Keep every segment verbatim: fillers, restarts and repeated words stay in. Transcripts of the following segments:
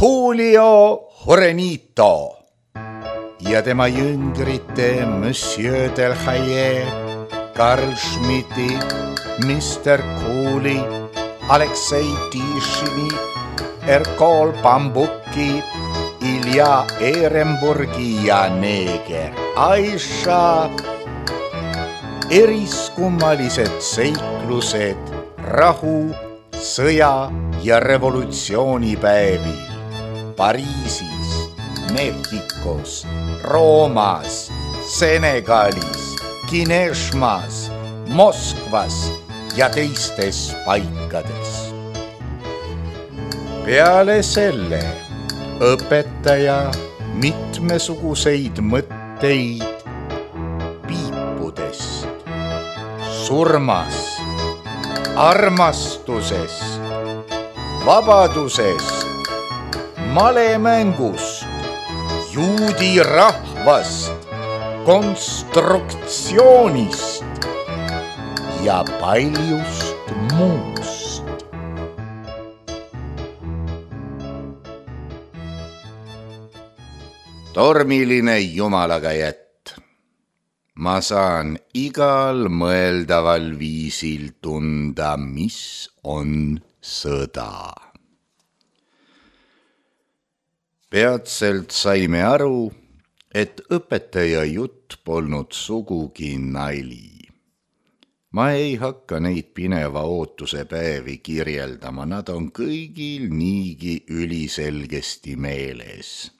Julio Jurenito ja tema jüngrite Monsieur Delhaye, Karl Schmidti, mister Kooli, Aleksei Tišini, Erkol Bambuki, Ilja Ehrenburgi ja neeger Aisha. Eriskummalised seiklused rahu, sõja ja revolutsioonipäevil Pariisis, Mehhikos, Roomas, Senegalis, Kineshmas, Moskvas ja teistes paikades. Peale selle õpetaja mitmesuguseid mõtteid piipudest, surmast, armastusest, vabadusest, malemängust, juudi rahvast, konstruktsioonist ja paljust muust. Tormiline jumalaga jätt. Ma saan igal mõeldaval viisil tunda, mis on sõda. Peatselt saime aru, et õpetaja jutt polnud sugugi nali. Ma ei hakka neid pineva ootuse päevi kirjeldama, nad on kõigil niigi üliselgesti meeles.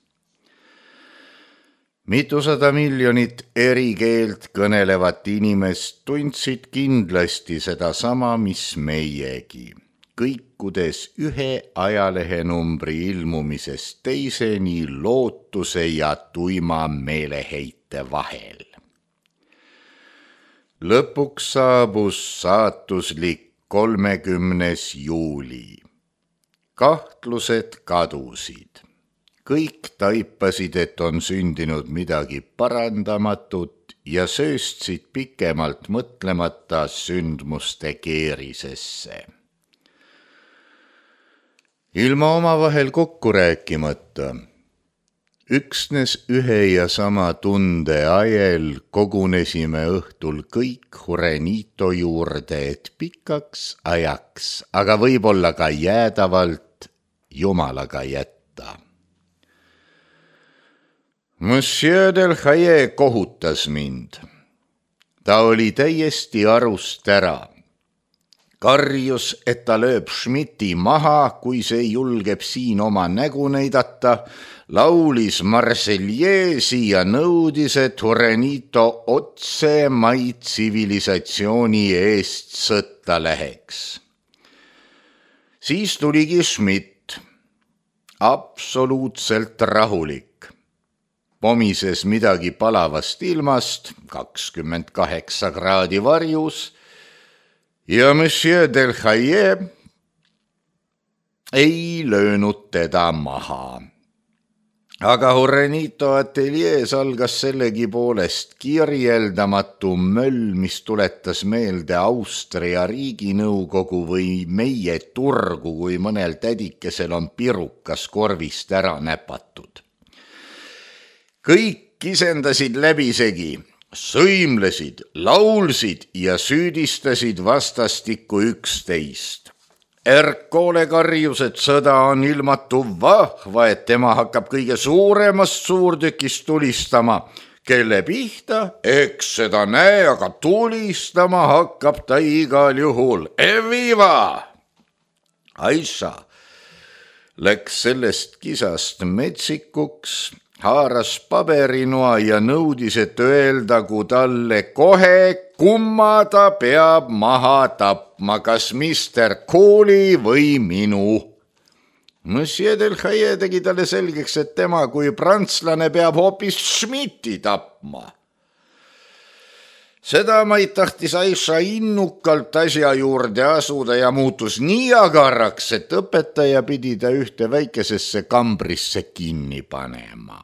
Mitusada miljonit eri keelt kõnelevat inimest tundsid kindlasti seda sama, mis meiegi, kõikudes ühe ajalehenumbri ilmumisest teiseni lootuse ja tuima meeleheite vahel. Lõpuks saabus saatuslik kolmekümnes juuli. Kahtlused kadusid. Kõik taipasid, et on sündinud midagi parandamatut ja sööstsid pikemalt mõtlemata sündmuste keerisesse. Ilma omavahel kokku rääkimata, üksnes ühe ja sama tunde ajel kogunesime õhtul kõik Jurenito juurde, et pikaks ajaks, aga võib-olla ka jäädavalt jumalaga jätta. Monsieur Delhaye kohutas mind. Ta oli täiesti arust ära. Karjus, et ta lööb Schmidti maha, kui see julgeb siin oma nägu näidata, laulis Marseljeesi ja nõudis, et Jurenito otse mai tsivilisatsiooni eest sõtta läheks. Siis tuligi Schmidt, absoluutselt rahulik. Pomises midagi palavast ilmast, kakskümmend kaheksa kraadi varjus, ja Monsieur Delhaye ei löönud teda maha. Aga Jurenito ateljees algas sellegi poolest kirjeldamatu möll, mis tuletas meelde Austria riiginõukogu või meie turgu, kui mõnel tädikesel on pirukas korvist ära näpatud. Kõik kisendasid läbisegi, sõimlesid, laulsid ja süüdistasid vastastikku üksteist. Erkole karjus, et sõda on ilmatu vahva, et tema hakkab kõige suuremast suurtükist tulistama. Kelle pihta? Eks seda näe, aga tulistama hakkab ta igal juhul. Eviva! Aisha läks sellest kisast metsikuks, haaras paberinoa ja nõudis, et öeldagu talle kohe, kumma ta peab maha tapma, kas mister Kooli või minu. Monsieur Delhaye tegi talle selgeks, et tema kui prantslane peab hoopis Schmidti tapma. Seda maid tahtis Aisha innukalt asja juurde asuda ja muutus nii agarraks, et õpetaja pidi ta ühte väikesesse kambrisse kinni panema.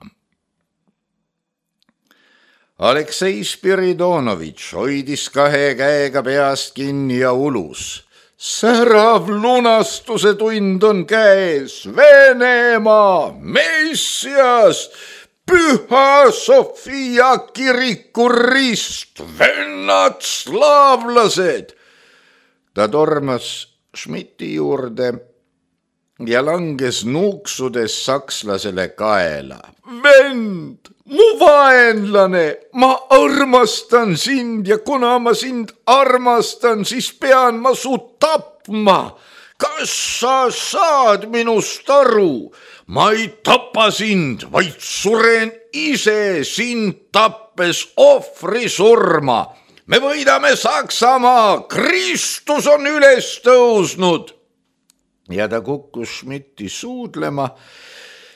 Aleksei Spiridonovitš hoidis kahe käega peast kinni ja ulus. särav lunastuse tund on käes, Venemaa, Messias, Püha Sofia kiriku rist, vennad slaavlased. Ta tormas Schmidti juurde ja langes nuuksudes sakslasele kaela. Vend, mu vaenlane, ma armastan sind ja kuna ma sind armastan, siis pean ma su tapma. Kas sa saad minust aru? Ma ei tapa sind, vaid suren ise sind tappes ohvri surma. Me võidame Saksamaa, Kristus on üles tõusnud. Ja ta kukkus Schmidti suudlema,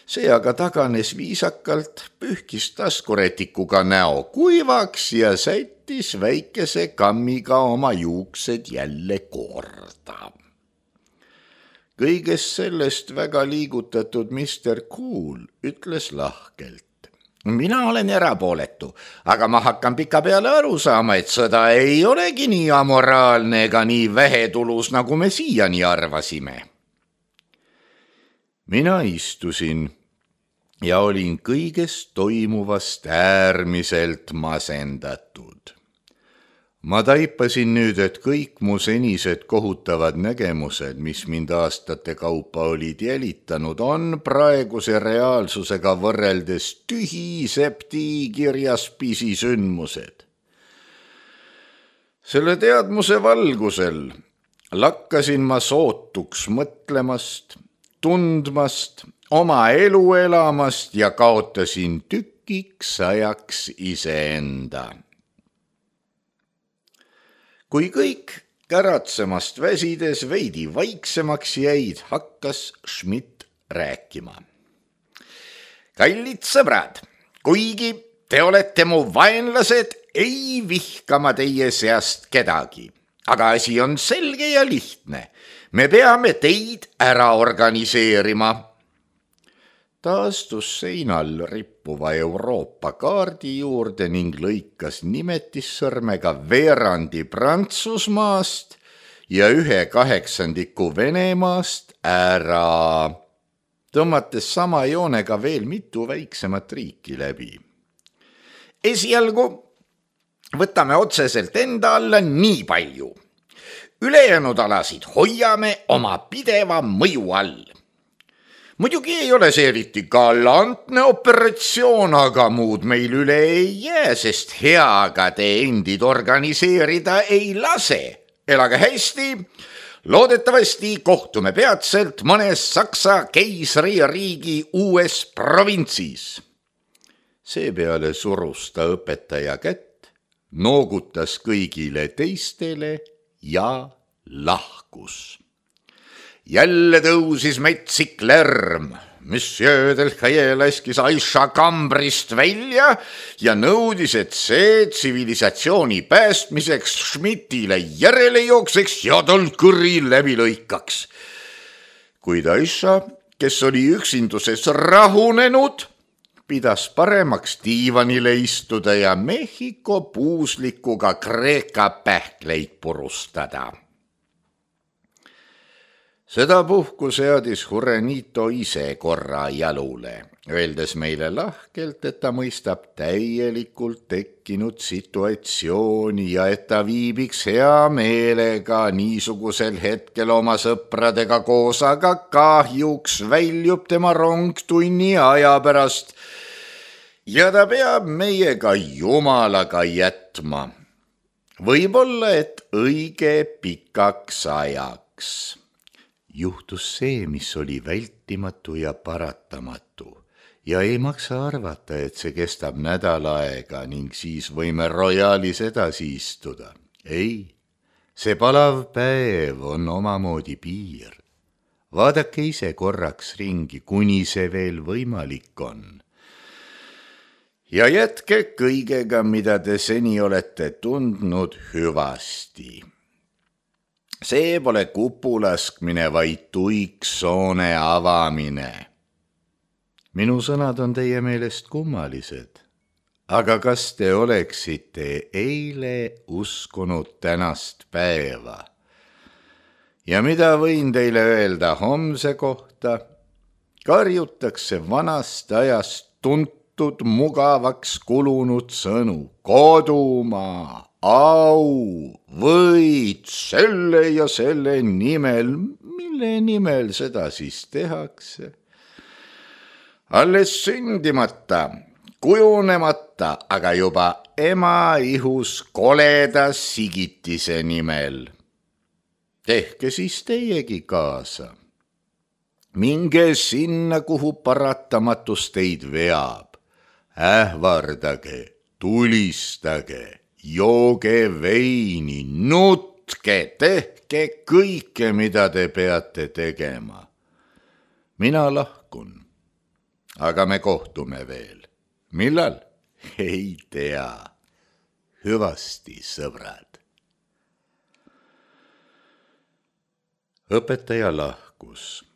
see aga taganes viisakalt, pühkis taskuretikuga näo kuivaks ja sättis väikese kammiga oma juuksed jälle korda. Kõigest sellest väga liigutatud mister Cool ütles lahkelt. Mina olen erapooletu, aga ma hakkan pika peale aru saama, et sõda ei olegi nii amoraalne ega nii vähetulus, nagu me siiani arvasime. Mina istusin ja olin kõigest toimuvast äärmiselt masendatud. Ma taipasin nüüd, et kõik mu senised kohutavad nägemused, mis mind aastate kaupa olid jälitanud, on praeguse reaalsusega võrreldes tühi septiikirjas pisisündmused. Selle teadmuse valgusel lakkasin ma sootuks mõtlemast, tundmast, oma elu elamast ja kaotasin tükiks ajaks iseenda. Kui kõik käratsemast väsides veidi vaiksemaks jäid, hakkas Schmidt rääkima. Kallid sõbrad, kuigi te olete mu vaenlased, ei vihka ma teie seast kedagi. Aga asi on selge ja lihtne. Me peame teid ära organiseerima. Ta astus seinal rippuva Euroopa kaardi juurde ning lõikas nimetissõrmega veerandi Prantsusmaast ja ühe kaheksandiku Venemaast ära, tõmmates sama joonega veel mitu väiksemat riiki läbi. Esialgu võtame otseselt enda alla nii palju. Ülejäänud alasid hoiame oma pideva mõju all. Muidugi ei ole see eriti galantne operatsioon, aga muud meil üle ei jää, sest heaga te endid organiseerida ei lase. Elage hästi, loodetavasti kohtume peatselt mõnes Saksa keisririigi uues provintsis. Seepeale surus ta õpetaja kätt, noogutas kõigile teistele ja lahkus. Jälle tõusis metsik lärm. Monsieur Delcaille laskis Aisha kambrist välja ja nõudis, et see tsivilisatsiooni päästmiseks Schmidtile järele jookseks ja tal kõri läbi lõikaks. Kuid Aisha, kes oli üksinduses rahunenud, pidas paremaks diivanile istuda ja Mehhiko puuslikuga Kreeka pähkleid purustada. Seda puhku seadis Jurenito ise korra jalule, öeldes meile lahkelt, et ta mõistab täielikult tekkinud situatsiooni ja et ta viibiks hea meelega niisugusel hetkel oma sõpradega koos, aga kahjuks väljub tema rong tunni aja pärast ja ta peab meiega jumalaga jätma. Võib-olla, et õige pikaks ajaks. Juhtus see, mis oli vältimatu ja paratamatu ja ei maksa arvata, et see kestab nädal aega ning siis võime Royalis edasi istuda. Ei, see palav päev on omamoodi piir. Vaadake ise korraks ringi, kuni see veel võimalik on. Ja jätke kõigega, mida te seni olete tundnud hüvasti. See pole kupulaskmine, vaid tuiksoone avamine. Minu sõnad on teie meelest kummalised, aga kas te oleksite eile uskunud tänast päeva? Ja mida võin teile öelda homse kohta? Karjutakse vanast ajast tuntud mugavaks kulunud sõnu. Kodumaa, au, võid selle ja selle nimel. Mille nimel seda siis tehakse? Alles sündimata, kujunemata, aga juba ema ihus koleda sigitise nimel. Tehke siis teiegi kaasa. Minge sinna, kuhu paratamatus teid veab. Ähvardage, tulistage, jooge veini, nutke, tehke kõike, mida te peate tegema. Mina lahkun. Aga me kohtume veel. Millal? Ei tea. Hüvasti, sõbrad. Õpetaja lahkus,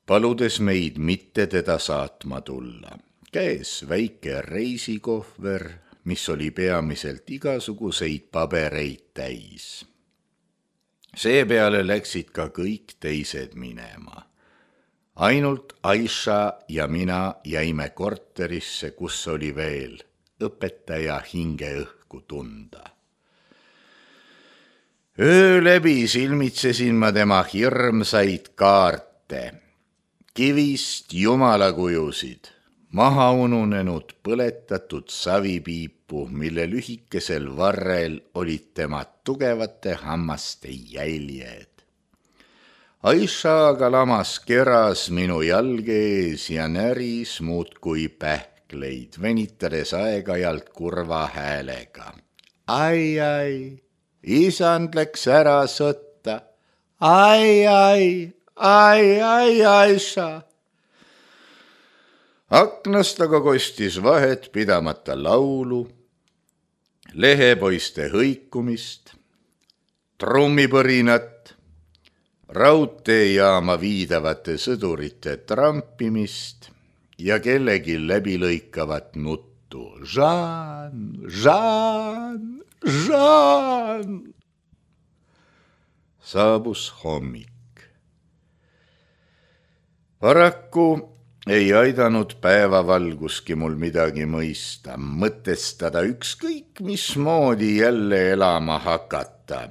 paludes meid mitte teda saatma tulla. Käes väike reisikohver, mis oli peamiselt igasuguseid pabereid täis. Seepeale läksid ka kõik teised minema. Ainult Aisha ja mina jäime korterisse, kus oli veel õpetaja hingeõhku tunda. Öö läbi silmitsesin ma tema hirmsaid kaarte, kivist jumalakujusid, maha ununenud põletatud savipiipu, mille lühikesel varrel olid tema tugevate hammaste jäljed. Aisha aga lamas keras minu jalge ees ja näris muudkui pähkleid, venitades aeg-ajalt kurva häälega. Ai, ai, isand läks ära sõtta. Ai, ai, ai, ai, Aisha. Aknast aga kostis vahet pidamata laulu, lehepoiste hõikumist, trummipõrinat, raudteejaama viidavate sõdurite trampimist ja kellegi läbilõikavat nuttu. Žaan, Žaan, Žaan! Saabus hommik. Paraku ei aidanud päevavalguski mul midagi mõista, mõtestada ükskõik mismoodi jälle elama hakata.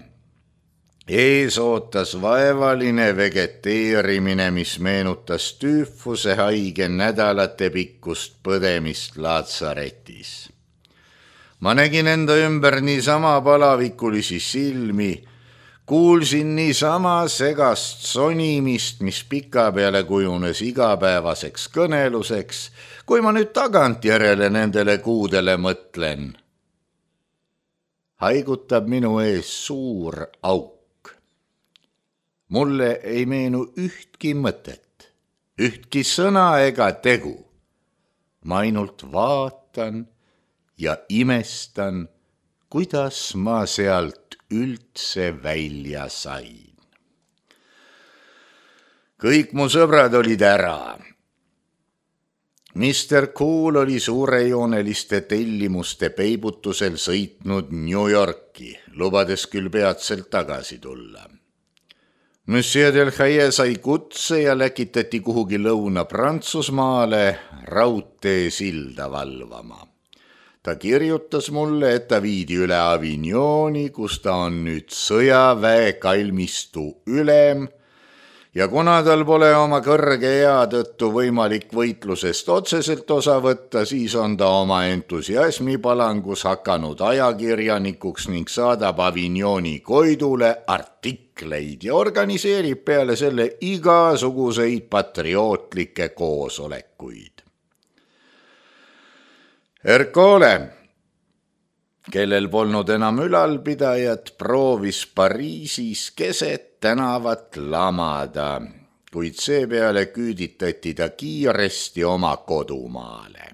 Ees ootas vaevaline vegeteerimine, mis meenutas tüüfuse haige nädalate pikkust põdemist laatsaretis. Ma nägin enda ümber niisama palavikulisi silmi, kuulsin niisama segast sonimist, mis pikapeale kujunes igapäevaseks kõneluseks, kui ma nüüd tagantjärele nendele kuudele mõtlen. Haigutab minu ees suur auk. Mulle ei meenu ühtki mõtet, ühtki sõna ega tegu. Ma ainult vaatan ja imestan, kuidas ma sealt üldse välja sain. Kõik mu sõbrad olid ära. mister Cool oli suurejooneliste tellimuste peibutusel sõitnud New Yorki, lubades küll peatselt tagasi tulla. Monsieur Del Haye sai kutse ja läkitati kuhugi Lõuna-Prantsusmaale raudtee silda valvama. Ta kirjutas mulle, et ta viidi üle Avignoni, kus ta on nüüd sõjaväe kalmistu ülem ja kuna tal pole oma kõrge ea tõttu võimalik võitlusest otseselt osa võtta, siis on ta oma entusiasmipalangus hakanud ajakirjanikuks ning saadab Avignoni koidule artikleid ja organiseerib peale selle igasuguseid patriootlikke koosolekuid. Ercole, kellel polnud enam ülalpidajat, proovis Pariisis keset tänavat lamada, kuid seepeale küüditati ta kiiresti oma kodumaale.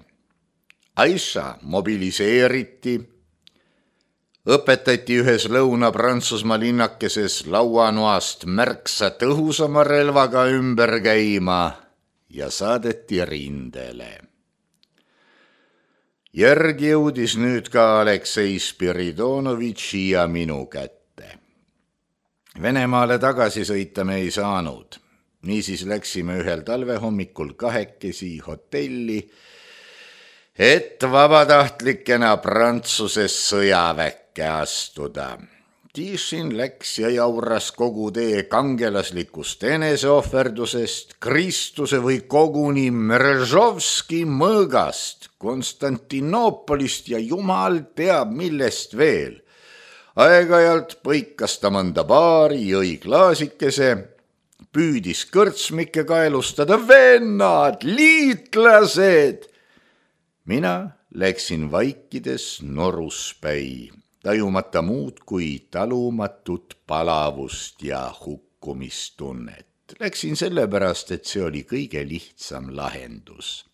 Aisha mobiliseeriti, õpetati ühes Lõuna-Prantsusmaa linnakeses lauanoast märksa tõhusama relvaga ümber käima ja saadeti rindele. Järg jõudis nüüd ka Aleksei Spiridonovitši ja minu kätte. Venemaale tagasi sõita me ei saanud. Niisiis läksime ühel talvehommikul kahekesi hotelli, et vabatahtlikena Prantsuse sõjaväkke astuda. Tišin läks ja jauras kogu tee kangelaslikust eneseohverdusest, Kristuse või koguni Mrežovski mõõgast, Konstantinoopolist ja jumal teab millest veel. Aeg-ajalt põikas ta mõnda baari, jõi klaasikese, püüdis kõrtsmikke kaelustada, vennad, liitlased. Mina läksin vaikides noruspäi, tajumata muud kui talumatut palavust ja hukkumistunnet. Läksin sellepärast, et see oli kõige lihtsam lahendus.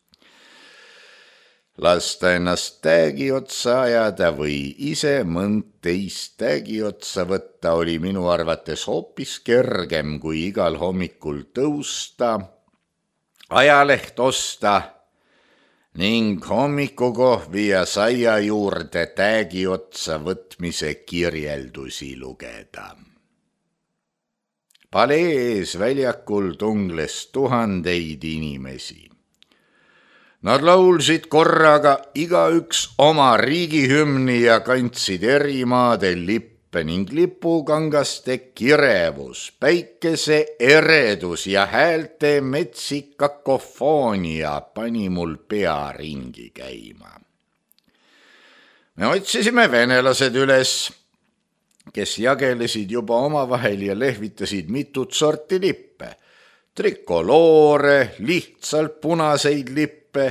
Lasta ennast täägi otsa ajada või ise mõnd teist täägi otsa võtta oli minu arvates hoopis kergem kui igal hommikul tõusta, ajaleht osta ning hommikukohvi ja saia juurde täägi otsa võtmise kirjeldusi lugeda. Palee ees väljakul tungles tuhandeid inimesi. Nad laulsid korraga igaüks oma riigihümni ja kandsid eri maade lippe ning lipukangaste kirevus, päikese eredus ja häälte metsik kakofoonia pani mul pea ringi käima. Me otsisime venelased üles, kes jagelesid juba omavahel ja lehvitasid mitut sorti lippe. Trikoloore, lihtsalt punaseid lippe,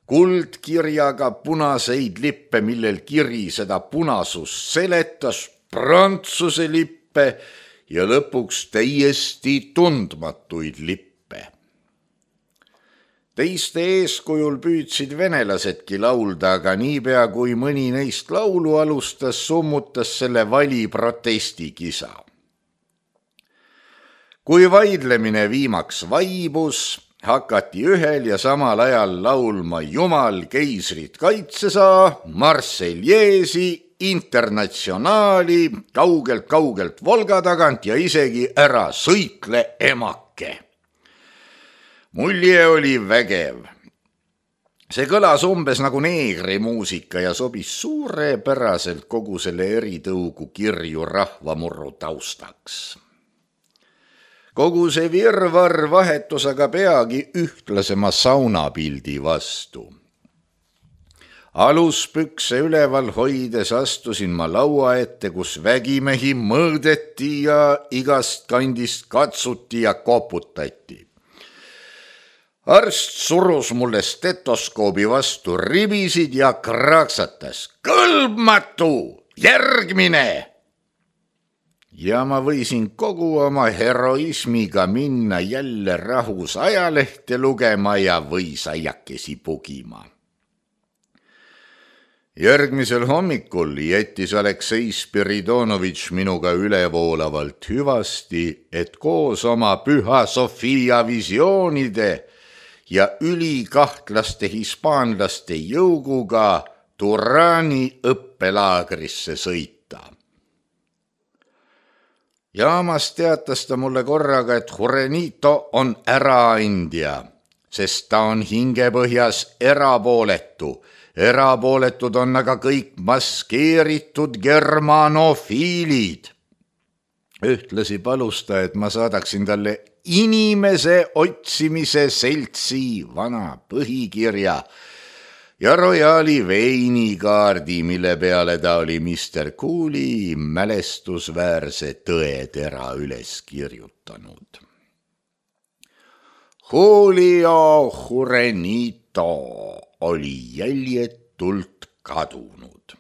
kuldkirjaga punaseid lippe, millel kiri seda punasust seletas, Prantsuse lippe ja lõpuks täiesti tundmatuid lippe. Teiste eeskujul püüdsid venelasedki laulda, aga niipea kui mõni neist laulu alustas, summutas selle vali protestikisa. Kui vaidlemine viimaks vaibus, hakati ühel ja samal ajal laulma Jumal keisrit kaitsesaa, Marseljeesi, Internatsionaali, kaugelt-kaugelt Volga tagant ja isegi Ära sõitle emake. Mulje oli vägev. See kõlas umbes nagu neegrimuusika ja sobis suurepäraselt kogu selle eritõugu kirju rahvamurru taustaks. Kogu see virvarr vahetus aga peagi ühtlasema saunapildi vastu. Aluspükse üleval hoides astusin ma laua ette, kus vägimehi mõõdeti ja igast kandist katsuti ja koputati. Arst surus mulle stetoskoobi vastu ribisid ja kraaksatas. Kõlbmatu! Järgmine! Ja ma võisin kogu oma heroismiga minna jälle rahus ajalehte lugema ja võisaiakesi pugima. Järgmisel hommikul jättis Aleksei Spiridonovitš minuga ülevoolavalt hüvasti, et koos oma Püha Sofia visioonide ja ülikahtlaste hispaanlaste jõuguga Turani õppelaagrisse sõita. Jaamas teatas ta mulle korraga, et Jurenito on äraandja, sest ta on hingepõhjas erapooletu. Erapooletud on aga kõik maskeeritud germanofiilid. Ühtlasi palus ta, et ma saadaksin talle inimese otsimise seltsi vana põhikirja ja Royali veinikaardi, mille peale ta oli mister Cooley mälestusväärse tõetera üles kirjutanud. Julio Jurenito oli jäljetult kadunud.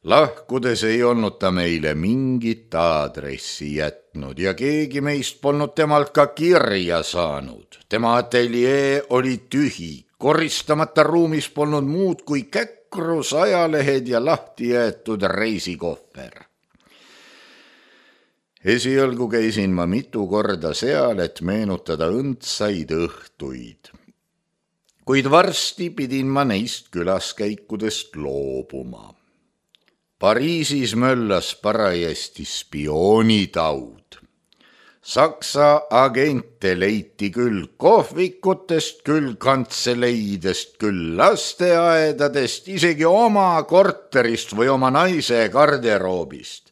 Lahkudes ei olnud ta meile mingit aadressi jätnud ja keegi meist polnud temalt ka kirja saanud. Tema ateljee oli tühi. Koristamata ruumis polnud muud kui käkrus, ajalehed ja lahti jäetud reisikohver. Esialgu käisin ma mitu korda seal, et meenutada õndsaid õhtuid. Kuid varsti pidin ma neist külaskäikudest loobuma. Pariisis möllas parajasti spioonitaud. Saksa agente leiti küll kohvikutest, küll kantseleidest, küll lasteaedadest, isegi oma korterist või oma naise garderoobist.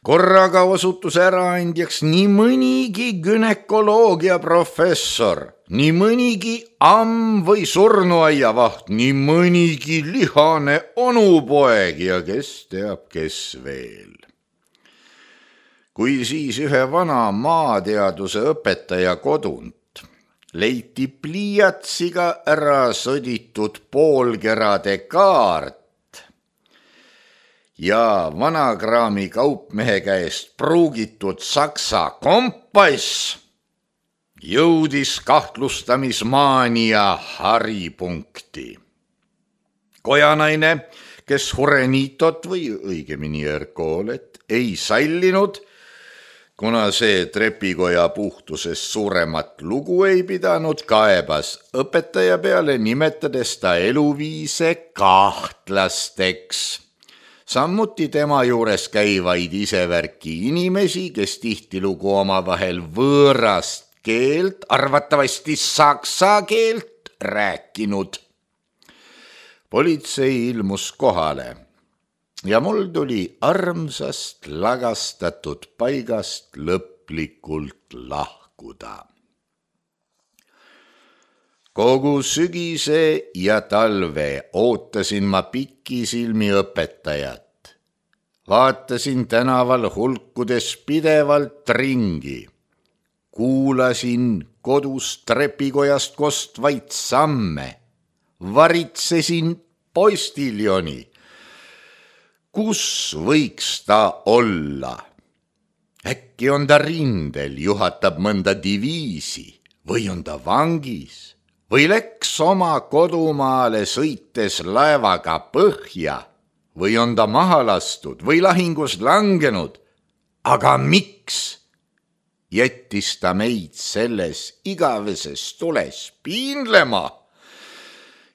Korraga osutus äraandjaks nii mõnigi günekoloogia professor, nii mõnigi amm või surnuaiavaht, nii mõnigi lihane onupoeg ja kes teab, kes veel. Kui siis ühe vana maateaduse õpetaja kodunt leiti pliiatsiga ära sõditud poolkerade kaart ja vanakraami kaupmehe käest pruugitud saksa kompass, jõudis kahtlustamismaania haripunkti. Kojanaine, kes Hurenitot või õigemini Erkoolet ei sallinud, kuna see trepikoja puhtusest suuremat lugu ei pidanud, kaebas õpetaja peale, nimetades ta eluviise kahtlasteks. Samuti tema juures käivaid isevärki inimesi, kes tihtilugu omavahel võõrast keelt, arvatavasti saksa keelt rääkinud. Politsei ilmus kohale ja mul tuli armsast lagastatud paigast lõplikult lahkuda. Kogu sügise ja talve ootasin ma pikisilmi õpetajat. Vaatasin tänaval hulkudes pidevalt ringi. Kuulasin kodus trepikojast kostvaid samme. Varitsesin postiljoni. Kus võiks ta olla? Äkki on ta rindel, juhatab mõnda diviisi või on ta vangis või läks oma kodumaale sõites laevaga põhja või on ta maha lastud või lahingus langenud. Aga miks jättis ta meid selles igaveses tules piinlema?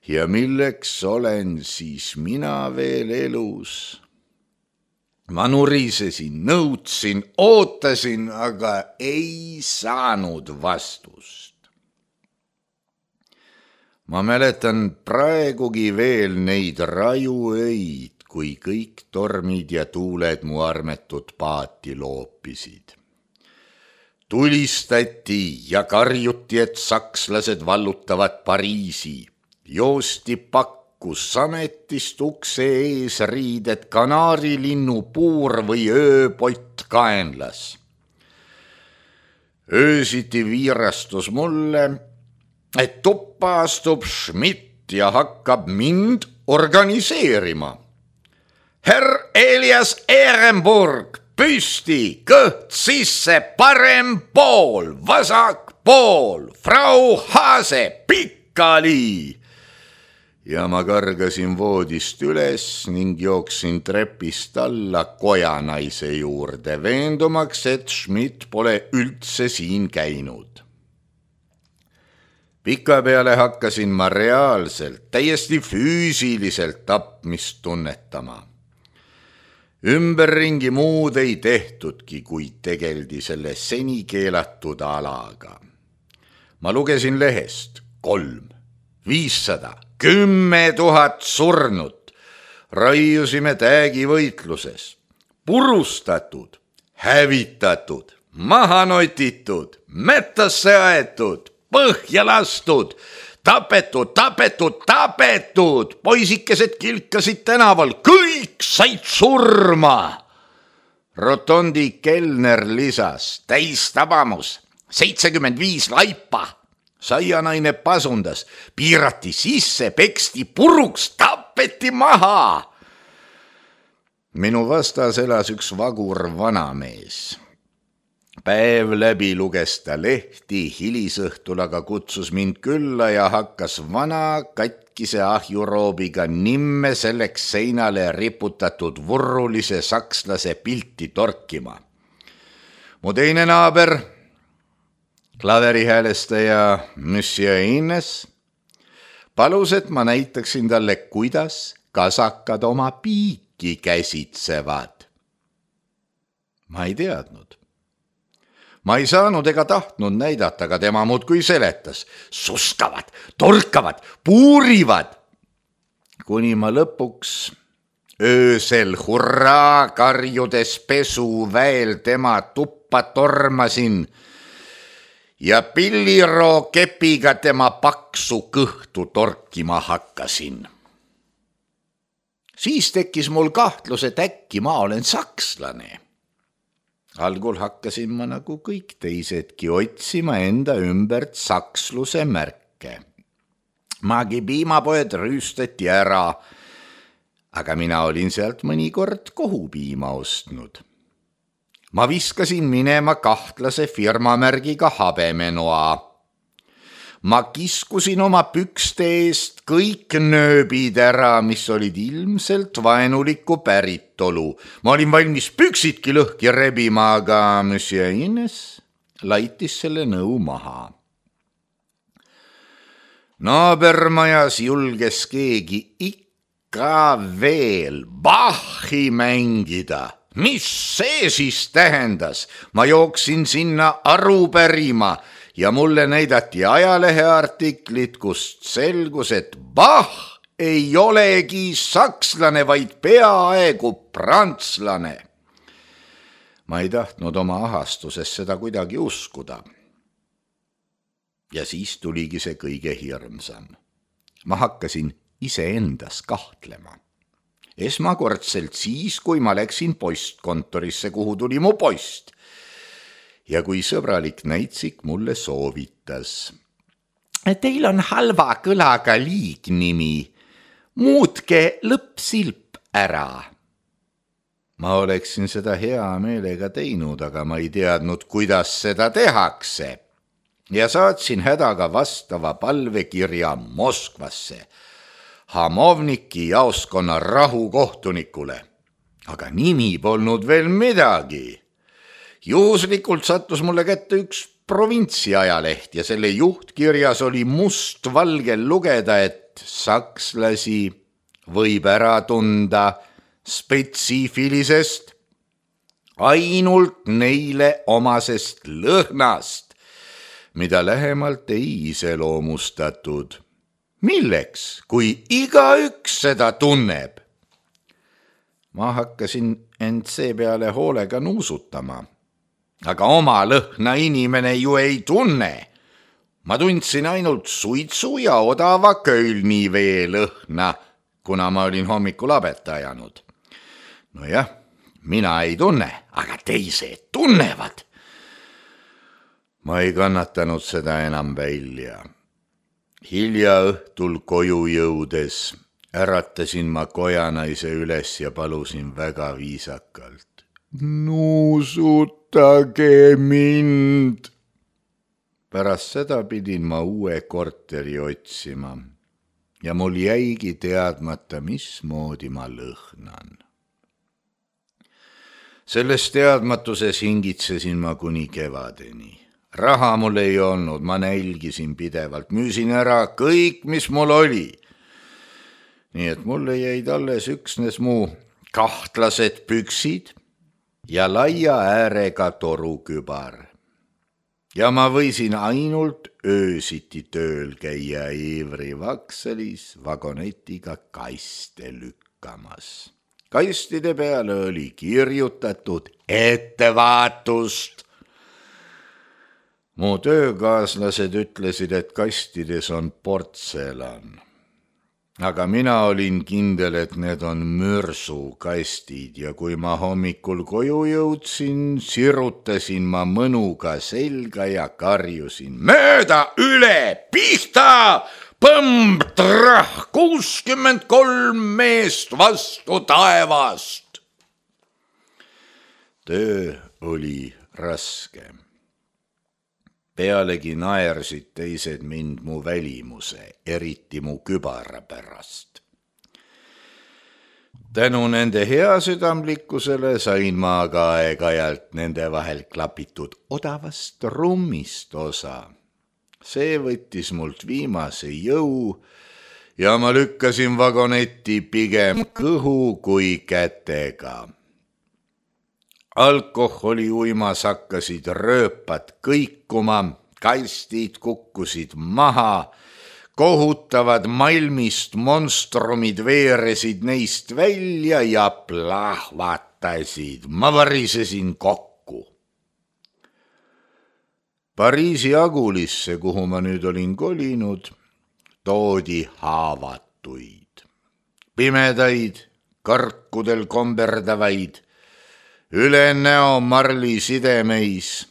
Ja milleks olen siis mina veel elus? Ma nurisesin, nõudsin, ootasin, aga ei saanud vastust. Ma mäletan praegugi veel neid rajuöid, kui kõik tormid ja tuuled mu armetut paati loopisid. Tulistati ja karjuti, et sakslased vallutavad Pariisi. Joosti pakkus sametist ukse ees riided kanaarilinnu puur või ööpott kaenlas. Öösiti viirastus mulle, et tuppa astub Schmidt ja hakkab mind organiseerima. Herr Elias Ehrenburg, püsti, kõht sisse, parem pool, vasak pool, Frau Haase, pikali. Ja ma kargasin voodist üles ning jooksin trepist alla kojanaise juurde, veendumaks, et Schmidt pole üldse siin käinud. Pikapeale hakkasin ma reaalselt, täiesti füüsiliselt tapmist tunnetama. Ümberringi muud ei tehtudki, kui tegeldi selle seni keelatud alaga. Ma lugesin lehest kolm, viissada, kümme tuhat surnut. Raiusime täägivõitluses. Purustatud, hävitatud, maha notitud, mettasse aetud, põhja lastud, tapetud, tapetud, tapetud. Poisikesed kilkasid tänaval, kõik said surma. Rotondi kelner lisas, täis tabamus, seitsekümmend viis laipa. Saianaine pasundas, piirati sisse, peksti puruks, tapeti maha. Minu vastas elas üks vagur vanamees. Päev läbi luges ta lehti, hilisõhtul aga kutsus mind külla ja hakkas vana katkise ahjuroobiga nimme selleks seinale riputatud vurrulise sakslase pilti torkima. Mu teine naaber, klaverihäälestaja Monsieur Ines, palus, et ma näitaksin talle, kuidas kasakad oma piiki kõiki käsitsevad. Ma ei teadnud. Ma ei saanud ega tahtnud näidata, aga tema muudkui seletas. Sustavad, torkavad, puurivad. Kuni ma lõpuks öösel hurraa karjudes pesuväel tema tuppa tormasin ja pilliroo kepiga tema paksu kõhtu torkima hakkasin. Siis tekkis mul kahtlus, et äkki ma olen sakslane. Algul hakkasin ma nagu kõik teisedki otsima enda ümbert saksluse märke. Magi piimapoed rüüstati ära, aga mina olin sealt mõnikord kohupiima ostnud. Ma viskasin minema kahtlase firmamärgiga habemenoa. Ma kiskusin oma pükste eest kõik nööbid ära, mis olid ilmselt vaenuliku päritolu. Ma olin valmis püksidki lõhki rebima, aga monsieur Ines laitis selle nõu maha. Naabermajas julges keegi ikka veel Bachi mängida. Mis see siis tähendas? Ma jooksin sinna aru pärima ja mulle näidati ajaleheartiklit, kust selgus, et Bach ei olegi sakslane, vaid peaaegu prantslane. Ma ei tahtnud oma ahastuses seda kuidagi uskuda. Ja siis tuligi see kõige hirmsam. Ma hakkasin iseendas kahtlema. Esmakordselt siis, kui ma läksin postkontorisse, kuhu tuli mu post. Ja kui sõbralik näitsik mulle soovitas. Teil on halva kõlaga liignimi. Muutke lõppsilp ära. Ma oleksin seda hea meelega teinud, aga ma ei teadnud, kuidas seda tehakse. Ja saatsin hädaga vastava palvekirja Moskvasse, Hamovniki jaoskonna rahukohtunikule. Aga nimi polnud veel midagi. Juhuslikult sattus mulle kätte üks provintsiajaleht ja selle juhtkirjas oli mustvalgel lugeda, et sakslasi võib ära tunda spetsiifilisest, ainult neile omasest lõhnast, mida lähemalt ei iseloomustatud. Milleks, kui igaüks seda tunneb? Ma hakkasin end seepeale hoolega nuusutama. Aga oma lõhna inimene ju ei tunne. Ma tundsin ainult suitsu ja odava Kölni vee lõhna, kuna ma olin hommikul abet ajanud. No jah, mina ei tunne, aga teised tunnevad. Ma ei kannatanud seda enam välja. Hilja õhtul koju jõudes äratasin ma kojanaise üles ja palusin väga viisakalt. Nuusutage mind. Pärast seda pidin ma uue korteri otsima ja mul jäigi teadmata, mismoodi ma lõhnan. Selles teadmatuses hingitsesin ma kuni kevadeni. Raha mul ei olnud, ma nälgisin pidevalt, müüsin ära kõik, mis mul oli. Nii et mulle jäid alles üksnes mu kahtlased püksid ja laia äärega torukübar. Ja ma võisin ainult öösiti tööl käia Eevri Vakselis vagonetiga kaste lükkamas. Kastide peale oli kirjutatud ettevaatust. Mu töökaaslased ütlesid, et kastides on portselan. Aga mina olin kindel, et need on mürsukastid ja kui ma hommikul koju jõudsin, sirutasin ma mõnuga selga ja karjusin. Mööda üle, pihta, põmb, trah, kuuskümmend kolm meest vastu taevast. Töö oli raske. Pealegi naersid teised mind mu välimuse, eriti mu kübara pärast. Tänu nende heasüdamlikkusele sain ma aga aeg-ajalt nende vahel klapitud odavast rummist osa. See võttis mult viimase jõu ja ma lükkasin vagonetti pigem kõhu kui kätega. Alkoholi uimas hakkasid rööpad kõikuma, kastid kukkusid maha, kohutavad malmist monstrumid veeresid neist välja ja plahvatasid. Ma varisesin kokku. Pariisi Agulisse, kuhu ma nüüd olin kolinud, toodi haavatuid. Pimedaid, karkudel komberdavaid, üle näo marli sidemeis.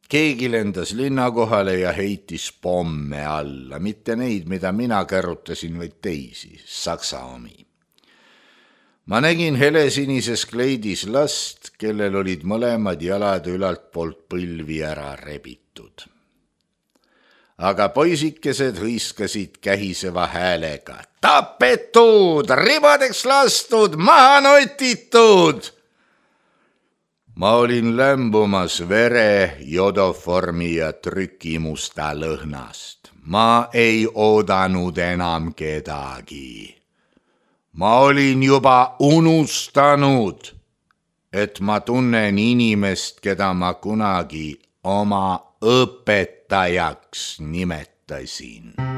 Keegi lendas linna kohale ja heitis pomme alla, mitte neid, mida mina kärutasin, vaid teisi, saksa omi. Ma nägin helesinises kleidis last, kellel olid mõlemad jalad ülalt poolt põlvi ära rebitud. Aga poisikesed hõiskasid kähiseva häälega. Tapetud, ribadeks lastud, maha notitud! Ma olin lämbumas vere, jodoformi ja trükimusta lõhnast. Ma ei oodanud enam kedagi. Ma olin juba unustanud, et ma tunnen inimest, keda ma kunagi oma õpetajaks nimetasin.